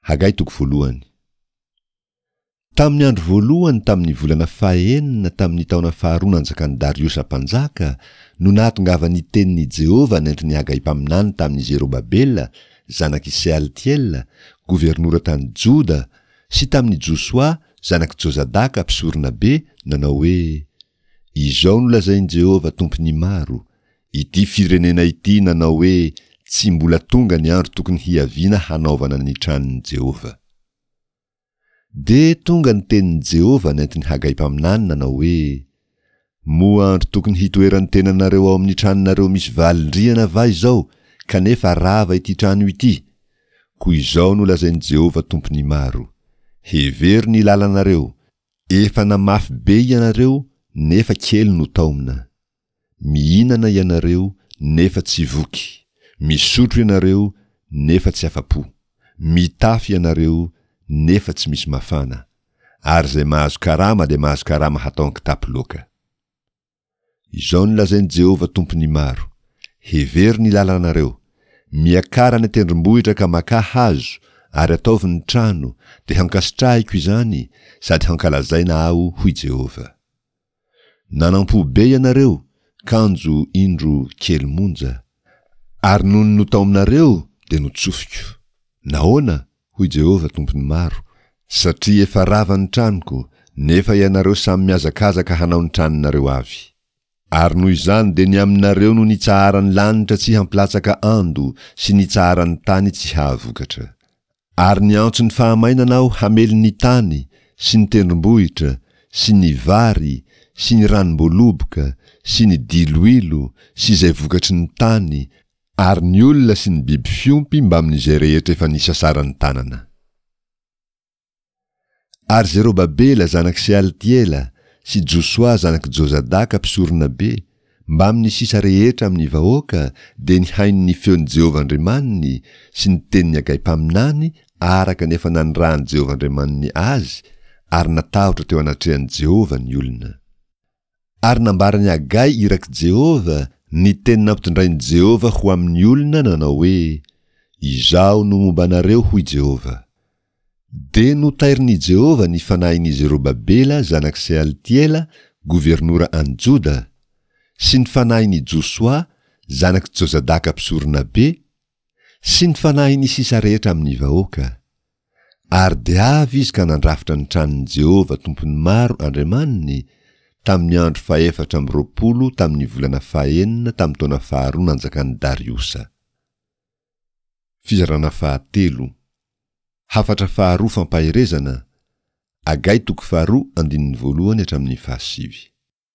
Hagay toko voalohany. Tamin'ny andro voalohany tamin'ny volana fahenina tamin'ny taona faharoa nanjakan'i Dariosa mpanjaka no nahatongavan'ny tenin'i Jehovah nentin'i Hagay mpaminany tamin'i Zerobabela zanak'i Sealtiela, governora tany Joda, sy tamin'i Josoa zanak'i Jozadaka mpisoronabe, nanao hoe, Izao no lazain'i Jehovah Tompon'ny maro, Ity firenena ity nanao hoe, Tsy mbola tonga ny andro tokony hiaviana hanaovana ny tranon'i Jehovah. Dia tonga ny tenin'i Jehovah nentin'i Hagay mpaminany nanao hoe, Moa andro tokony hitoeran'ny tenanareo ao amin'ny tranonareo misy valin-drihana va izao, kanefa rava ity trano ity? Koa izao no lazain'i Jehovah Tompon'ny maro, Hevero ny lalanareo, efa namafy be ianareo, nefa kely no taomina. Mihinana ianareo nefa tsy voky, misotro ianareo nefa tsy afa-po, mitafy ianareo nefa tsy misy mafana, ary izay mahazo karama dia mahazo karama hatao an-kitapo loaka. Izao no lazain'i Jehovah Tompon'ny maro, Hevero ny lalanareo, miakara any an-tendrombohitra ka makà hazo, ary ataovy ny trano, dia hankasitrahiko izany, sady hankalazaina Aho, hoy Jehovah. Nanampo be ianareo, kanjo indro kely monja. Ary nony notaominareo dia notsofiko. Nahoana? hoy Jehovah Tompon'ny maro, satria efa rava ny tranoko, nefa ianareo samy mihazakazaka hanao ny tranonareo avy. Ary noho izany dia ny aminareo no nitsaharan'ny lanitra tsy hampilatsaka ando sy nitsaharan'ny tany tsy hahavokatra. Ary niantso ny fahamainana aho hamely ny tany sy ny tendrombohitra sy ny vary sy ny ranom-boaloboka sy ny diloilo sy izay vokatry ny tany ary ny olona sy ny biby fiompy mbamin'izay rehetra efa nisasaran'ny tanana. Ary Zerobabela zanak'i Sealtiela sy Josoa zanak'i Jozadaka mpisoronabe, mbamin'ny sisa rehetra amin'ny vahoaka, dia nihaino ny feon'i Jehovah Andriamaniny sy ny tenin'i Hagay mpaminany araka ny efa nanirahan'i Jehovah Andriamaniny azy, ary natahotra teo anatrehan'i Jehovah ny olona. Ary nambaran'i Hagay irak'i Jehovah ny teny nampitondrain'i Jehovah ho amin'ny olona nanao hoe, Izaho no momba anareo, hoy Jehovah. Dia notairin'i Jehovah ny fanahin'i Zerobabela zanak'i Sealtiela, governora any Joda, sy ny fanahin'i Josoa zanak'i Jozadaka mpisoronabe, sy ny fanahin'ny sisa rehetra amin'ny vahoaka. Ary dia avy izy ka nandrafitra ny tranon'i Jehovah Tompon'ny maro Andriamaniny, tamin'ny andro fahefatra amby 20 tamin'ny volana fahenina tamin'ny taona faharoa nanjakan'i Dariosa. Fizarana fahatelo. Hafatra faharoa fampaherezana, Hagay toko faharoa andininy voalohany hatramin'ny fahasivy.